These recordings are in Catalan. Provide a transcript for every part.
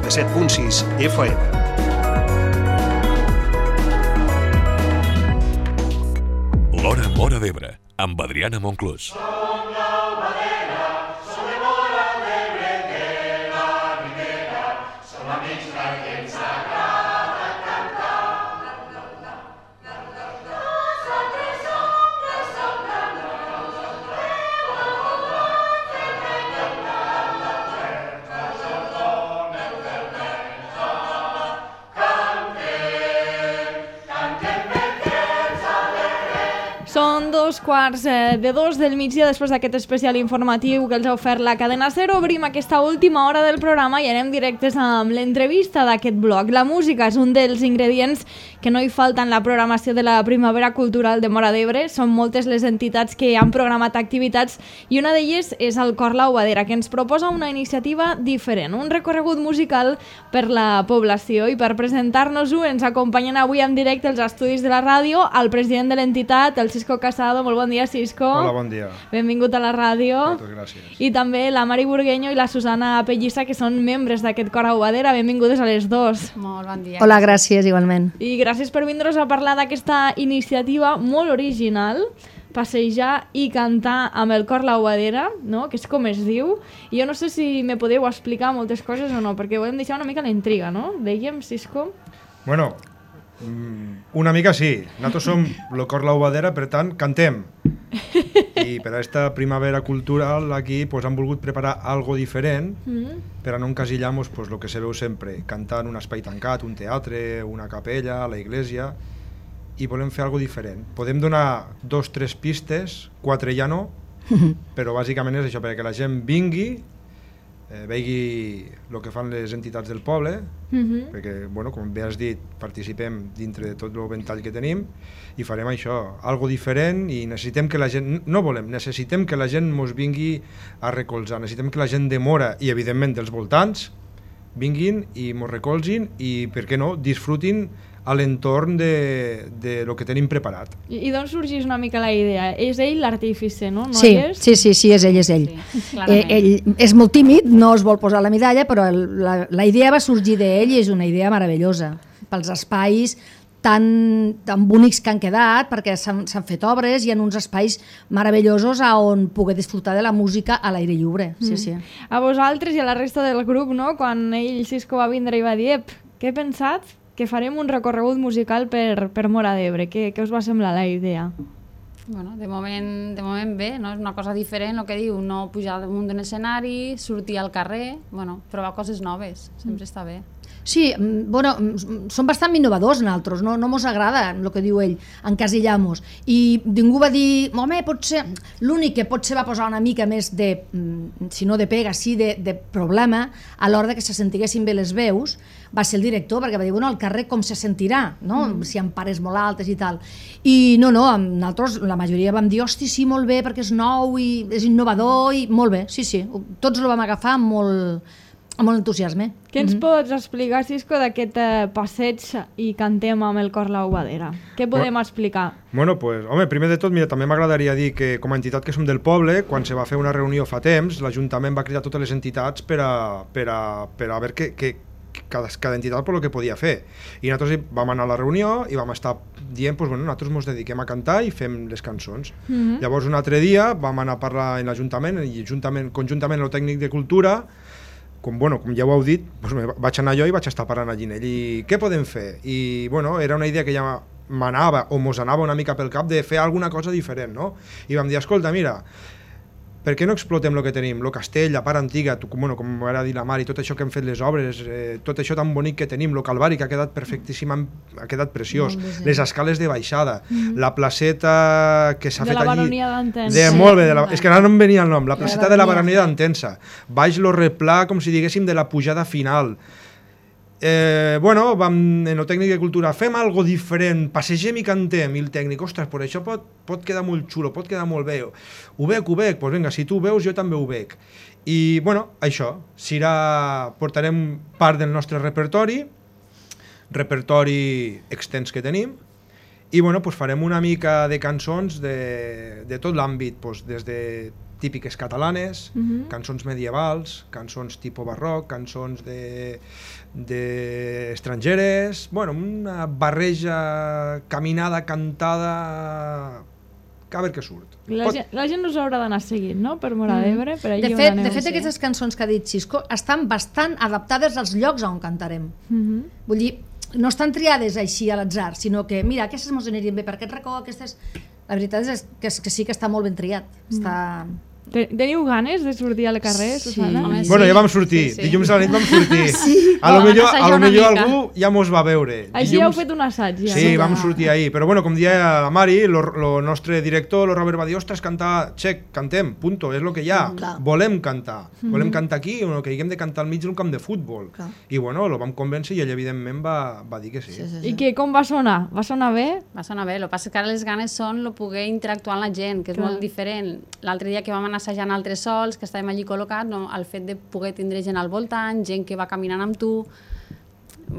97.6 FM. L'Hora Móra d'Ebre, amb Adriana Monclús. Són 2:45 del migdia després d'aquest especial informatiu que els ha ofert la cadena SER. Obrim aquesta última hora del programa i anem directes amb l'entrevista d'aquest bloc. La música és un dels ingredients que no hi falta en la programació de la Primavera Cultural de Móra d'Ebre. Són moltes les entitats que han programat activitats i una d'elles és el Cor La Ubadera, que ens proposa una iniciativa diferent, un recorregut musical per la població. I per presentar-nos-ho ens acompanyen avui en directe als estudis de la ràdio el president de l'entitat, el Cisco Casado. Molt bon dia, Cisco. Hola, bon dia. Benvingut a la ràdio. Moltes gràcies. I també la Mari Burgueño i la Susana Pellissa, que són membres d'aquest Cor a Ubadera. Benvingudes a les dos. Molt bon dia. Hola, gràcies, igualment. I gràcies per vindre's a parlar d'aquesta iniciativa molt original, passejar i cantar amb el Cor La Ubadera, no? Que és com es diu. I jo no sé si me podeu explicar moltes coses o no, perquè volem deixar una mica la intriga, no? Dèiem, Cisco? Bueno, una mica sí. Nosaltres som el Cor La Ubadera, per tant, cantem. I per a aquesta primavera cultural aquí pues, han volgut preparar algo diferent per a no encasillar-nos pues, el que se veu sempre, cantar en un espai tancat, un teatre, una capella, la iglesia, i volem fer algo diferent. Podem donar 2 o 3 pistes, 4 ja no, però bàsicament és això, perquè la gent vingui, vegi el que fan les entitats del poble, perquè, bueno, com bé has dit, participem dintre de tot el ventall que tenim i farem això, algo diferent, i necessitem que la gent, no volem, necessitem que la gent mos vingui a recolzar, necessitem que la gent de Móra i evidentment dels voltants vinguin i mos recolzin i, per què no, disfrutin a l'entorn de lo que tenim preparat. I d'on sorgeix una mica la idea? És ell l'artífice, no? Sí, és ell. Sí, ell és molt tímid, no es vol posar la medalla, però la idea va sorgir d'ell i és una idea meravellosa pels espais tan bonics que han quedat, perquè s'han fet obres i en uns espais meravellosos on poder disfrutar de la música a l'aire lliure. Sí. A vosaltres i a la resta del grup, no? Quan ell, Cisco, va vindre i va dir què he pensat? Que farem un recorregut musical per Móra d'Ebre. Què us va semblar la idea? Bueno, de moment bé, no? És una cosa diferent, el que diu, no pujar damunt d'un escenari, sortir al carrer, bueno, provar coses noves, sempre està bé. Sí, bueno, són bastant innovadors nosaltres, no mos agrada el que diu ell, encasillar-nos. I ningú va dir, home, potser, l'únic que potser va posar una mica més de, si no de pega, sí de problema, a l'hora que se sentiguessin bé les veus, va ser el director, perquè va dir, bueno, al carrer com se sentirà, no? Si hi ha pares molt altes i tal. I nosaltres, la majoria vam dir, hosti, sí, molt bé, perquè és nou i és innovador i molt bé, sí, tots ho vam agafar amb molt entusiasme. Què ens pots explicar, Cisco, d'aquest passeig i cantem amb el Cor La Ubadera? Què podem explicar? Bueno, pues, home, primer de tot, mira, també m'agradaria dir que com a entitat que som del poble, quan se va fer una reunió fa temps, l'Ajuntament va cridar totes les entitats per a veure que cada entitat per el que podia fer. I nosaltres vam anar a la reunió i vam estar dient, pues, bueno, nosaltres ens dediquem a cantar i fem les cançons. Llavors, un altre dia vam anar a parlar en l'Ajuntament i conjuntament amb el tècnic de cultura, com ja ho heu dit, doncs vaig anar jo i vaig estar parlant allí ell. I què podem fer? I era una idea que ja m'anava o mos anava una mica pel cap de fer alguna cosa diferent, no? I vam dir, escolta, mira, per què no explotem el que tenim? El castell, la part antiga, com va dir la Mari, tot això que hem fet les obres, tot això tan bonic que tenim, el Calvari, que ha quedat perfectíssim, ha quedat preciós, les escales de baixada, la placeta que s'ha fet allí... De la baronia d'Entença. Molt bé, és que ara no em venia el nom, la placeta de la baronia d'Entença. Baix lo replà, com si diguéssim, de la pujada final. Vam en el tècnic de cultura, fem algo diferent, passegem i cantem, i el tècnic, ostres, però això pot quedar molt xulo, pot quedar molt bé, ho veig, doncs vinga, si tu ho veus jo també ho veig. I això, portarem part del nostre repertori extens que tenim, i farem una mica de cançons de tot l'àmbit, des de típiques catalanes, cançons medievals, cançons tipus barroc, cançons estrangeres, bueno, una barreja caminada, cantada, que a veure què surt. La gent us haurà d'anar seguint, no?, per Móra d'Ebre. De fet, aquestes cançons que ha dit Xisco estan bastant adaptades als llocs on cantarem. Vull dir, no estan triades així a l'atzar, sinó que, mira, aquestes mos anirien bé per aquest racó, aquestes... La veritat és que sí que està molt ben triat. Teniu ganes de sortir al carrer, Susana? Bueno, ja vam sortir, dilluns a la nit vam sortir. A lo millor algú ja mos va veure. Així heu fet un assaig, ja. Sí, vam sortir ahir, però bueno, com dia la Mari, el nostre director, el Robert va dir, ostres, cantar, xec, cantem, punto, és el que hi ha, volem cantar aquí, o que haguem de cantar al mig d'un camp de futbol. I bueno, el vam convèncer i ell evidentment va dir que sí. I com va sonar? Va sonar bé? Va sonar bé, el que passa que ara les ganes són poder interactuar amb la gent, que és molt diferent. L'altre dia que vam anar assajant altres sols, que estàvem allí col·locats, el fet de poder tindre gent al voltant, gent que va caminant amb tu,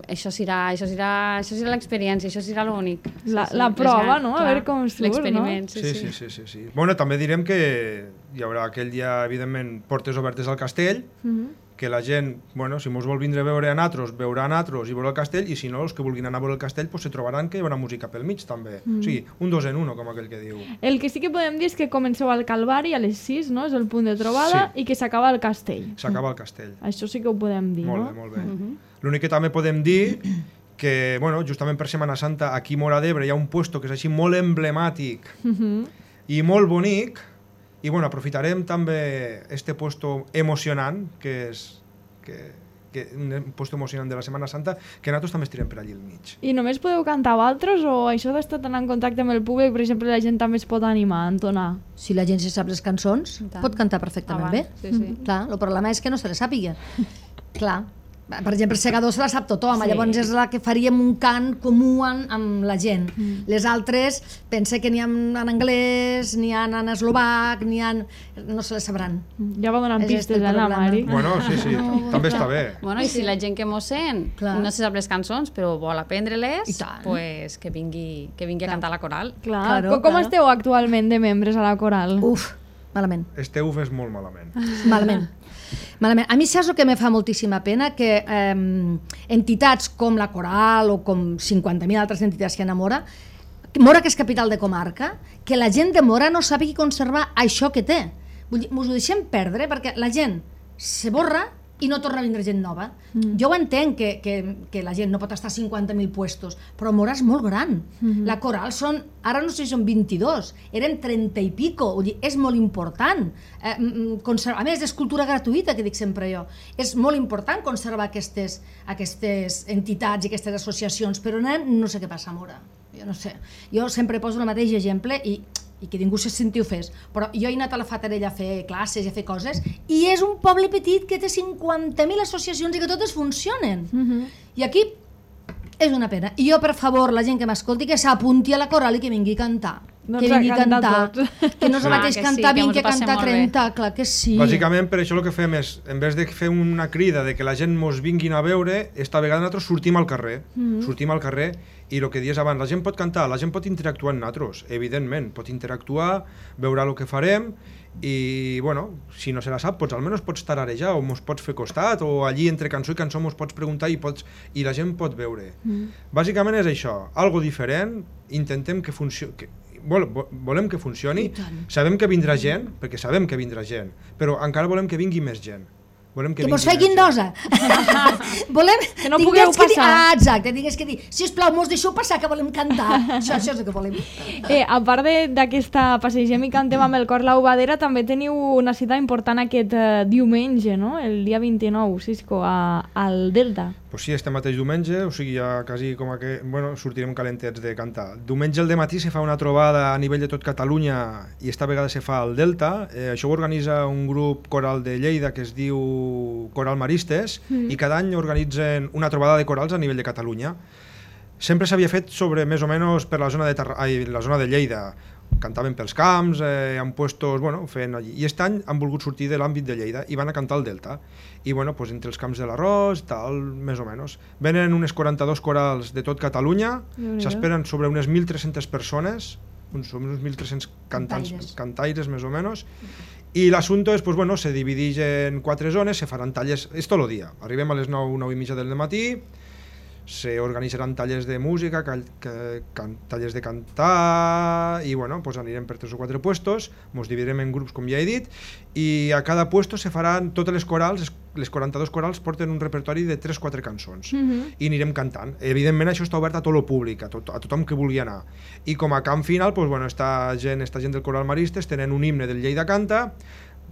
això serà l'experiència, això serà l'únic. La prova, no? A veure com surt, no? L'experiment, sí. Bueno, també direm que hi haurà aquell dia, evidentment, portes obertes al castell, que la gent, bueno, si mos vol vindre a veure a natros, veurà a natros i veurà el castell, i si no, els que vulguin anar a veure el castell, pues se trobaran que hi haurà música pel mig, també. O sigui, un 2 en 1, com aquell que diu. El que sí que podem dir és que comenceu al Calvari a les 6, no? És el punt de trobada, i que s'acaba al castell. S'acaba al castell. Això sí que ho podem dir, no? Molt bé. L'únic que també podem dir que, bueno, justament per Setmana Santa, aquí a Móra d'Ebre hi ha un puesto que és així molt emblemàtic i molt bonic, i bueno, aprofitarem també este puesto emocionant, que és un puesto emocionant de la Setmana Santa, que nosaltres també estirem per allí al mig. I només podeu cantar vosaltres o això d'estar tan en contacte amb el públic, per exemple, la gent també es pot animar a entonar? Si la gent se sap les cançons, pot cantar perfectament bé. Clar, el problema és que no se les sàpiga. Clar. Per exemple, el Segador se la sap tothom, llavors és la que faríem un cant comú amb la gent. Les altres, pense que n'hi ha en anglès, n'hi ha en eslovac, n'hi ha... no se les sabran. Ja va donant pistes, la Mari. Bueno, sí, també està bé. Bueno, i si la gent que mos sent no se sap les cançons, però vol aprendre-les, pues que vingui a cantar a la coral. Com esteu actualment de membres a la coral? Uf, malament. Esteu és molt malament. Malament. A mi saps el que me fa moltíssima pena? Que entitats com la Coral o com 50.000 altres entitats que hi ha a Móra, que és capital de comarca, que la gent de Móra no sàpiga conservar això que té. Vull dir, mos ho deixem perdre perquè la gent se borra i no torna a vindre gent nova. Jo ho entenc que la gent no pot estar a 50.000 puestos, però Móra és molt gran. La Coral són, ara no sé si són 22, eren 30 i pico, vull dir, és molt important. A més, és cultura gratuïta, que dic sempre jo. És molt important conservar aquestes entitats i aquestes associacions, però no sé què passa a Móra. Jo no sé. Jo sempre poso el mateix exemple i que ningú se senti ofès, però jo he anat a la Fatarella a fer classes i a fer coses i és un poble petit que té 50.000 associacions i que totes funcionen. I aquí és una pena. I jo, per favor, la gent que m'escolti, que s'apunti a la coral i que vingui a cantar. Que vingui a cantar. Que no és el mateix cantar 20 que cantar 30, clar que sí. Bàsicament, per això el que fem és, en vez de fer una crida de que la gent mos vinguin a veure, esta vegada nosaltres sortim al carrer. Sortim al carrer i el que dies abans, la gent pot cantar, la gent pot interactuar amb nosaltres, evidentment, pot interactuar, veurà el que farem i, bueno, si no se la sap, almenys pots tararejar o mos pots fer costat o allí entre cançó i cançó mos pots preguntar i la gent pot veure. Bàsicament és això, algo diferent, intentem que funcioni, volem que funcioni, sabem que vindrà gent, perquè sabem que vindrà gent, però encara volem que vingui més gent. Que mos feien dosa. Volem... Que no pugueu passar. Exacte, tingués que dir, sisplau, mos deixeu passar que volem cantar. Això és el que volem. A part d'aquesta Passegem i cantem amb el cor l'Aubadera, també teniu una cita important aquest diumenge, no? El dia 29, Xisco, al Delta. Pues sí, este mateix diumenge, o sigui, ja quasi com que... Bueno, sortirem calentets de cantar. Diumenge al dematí se fa una trobada a nivell de tot Catalunya i esta vegada se fa al Delta. Això ho organitza un grup coral de Lleida que es diu Coral Maristes i cada any organitzen una trobada de corals a nivell de Catalunya. Sempre s'havia fet sobre més o menys per la zona de Lleida. Cantaven pels camps, en puestos, bueno, fent allí. I aquest any han volgut sortir de l'àmbit de Lleida i van a cantar al Delta. I bueno, pues entre els camps de l'Arròs, tal, més o menys. Venen unes 42 corals de tot Catalunya, s'esperen sobre unes 1.300 persones, uns 1.300 cantaires més o menys, I l'assumpte és, pues, bueno, se divideix en 4 zones, se faran talles, és tot el dia. Arribem a les 9, 9 i mitja del matí, se organitzaran tallers de música, tallers de cantar, i bueno, pues anirem per 3 o 4 puestos, ens dividirem en grups, com ja he dit, i a cada puesto se faran totes les corals, les 42 corals porten un repertori de 3-4 cançons, i anirem cantant. Evidentment això està obert a tot el públic, a tothom que vulgui anar. I com a camp final, pues, bueno, esta gent del Coral Maristes tenen un himne del Lleida Canta,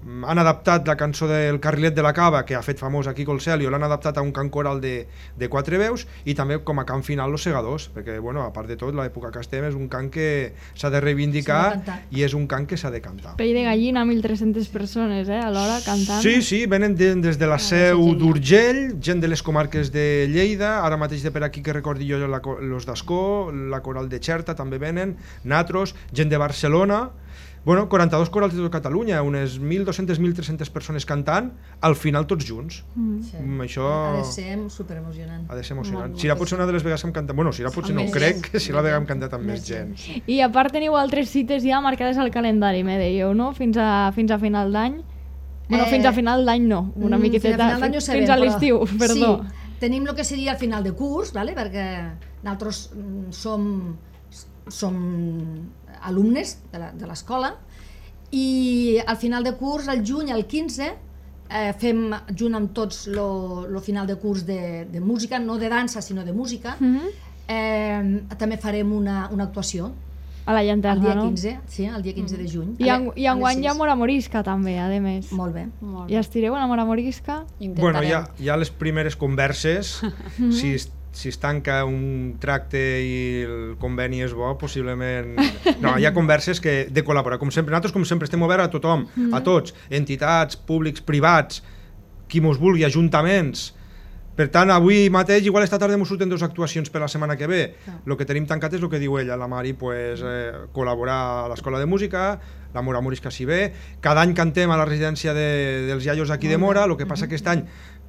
han adaptat la cançó del Carrilet de la Cava, que ha fet famós aquí Colcelio, l'han adaptat a un cant coral de 4 veus, i també com a cant final Los Segadors, perquè, bueno, a part de tot, l'època que estem és un cant que s'ha de reivindicar i és un cant que s'ha de cantar. Pell de gallina, 1.300 persones, alhora cantant. Sí, venen des de la Seu d'Urgell, gent de les comarques de Lleida, ara mateix de per aquí que recordi jo los d'Ascó, la coral de Xerta també venen, natros, gent de Barcelona. Bueno, 42 corals de tot Catalunya, unes 1.200-1.300 persones cantant, al final tots junts. Sí. Això Ha de ser superemocionant. ha de ser emocionant. Sira pot ser una de les vegades que hem cantat, bueno, Sira potser no, crec que Sira la vegada hem cantat amb més gent. I a part teniu altres cites ja marcades al calendari, me dèieu, no? Fins a final d'any. Bueno, fins a final d'any no, una miqueteta, fins a l'estiu, perdó. Sí, tenim el que seria el final de curs, ¿vale? Perquè nosaltres som alumnes de l'escola, i al final de curs, al juny, al 15, fem junt amb tots el final de curs de música, no de dansa, sinó de música. També farem una actuació a la llanterna, el dia no? 15, sí, el dia 15 de juny. I enguany hi ha Mora Morisca també, a més. Molt bé. I estireu a la Mora Morisca? Bueno, hi ha les primeres converses, si es tanca un tracte i el conveni és bo, possiblement... No, hi ha converses de col·laborar, com sempre. Nosaltres, com sempre, estem oberts a tothom, a tots, entitats, públics, privats, qui mos vulgui, ajuntaments. Per tant, avui mateix, igual esta tarda mos surten 2 actuacions per la setmana que ve. El que tenim tancat és el que diu ella, la Mari, col·laborar a l'Escola de Música, la Mora Morisca si ve. Cada any cantem a la residència dels iaios aquí de Mora, el que passa aquest any,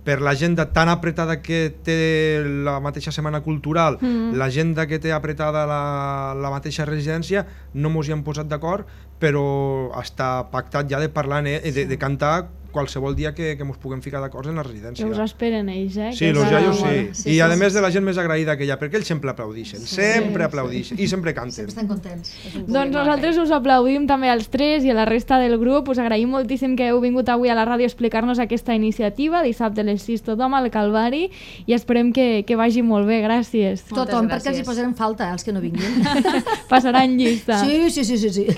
per l'agenda tan apretada que té la mateixa setmana cultural, l'agenda que té apretada la mateixa residència, no mos hi hem posat d'acord, però està pactat ja de parlar, de cantar qualsevol dia que mos puguem ficar d'acord en la residència. Que us esperen ells, Sí, els iaios sí. I a més de la gent més agraïda que hi ha, perquè ells sempre aplaudixen, sempre aplaudixen i sempre canten. Sempre estan contents. Doncs nosaltres us aplaudim també als 3 i a la resta del grup. Us agraïm moltíssim que heu vingut avui a la ràdio a explicar-nos aquesta iniciativa, dissabte a les 6 tothom al Calvari, i esperem que vagi molt bé. Gràcies. Tothom, perquè els hi posarem falta, els que no vinguin. Passaran llista. Sí.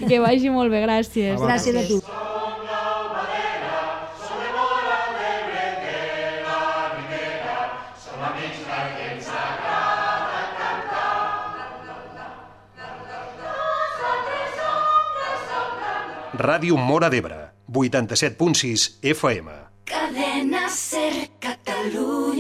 Que vagi molt bé, gràcies. Gràcies a tu. Ràdio Móra d'Ebre, 87.6 FM. Cadena Ser Catalunya.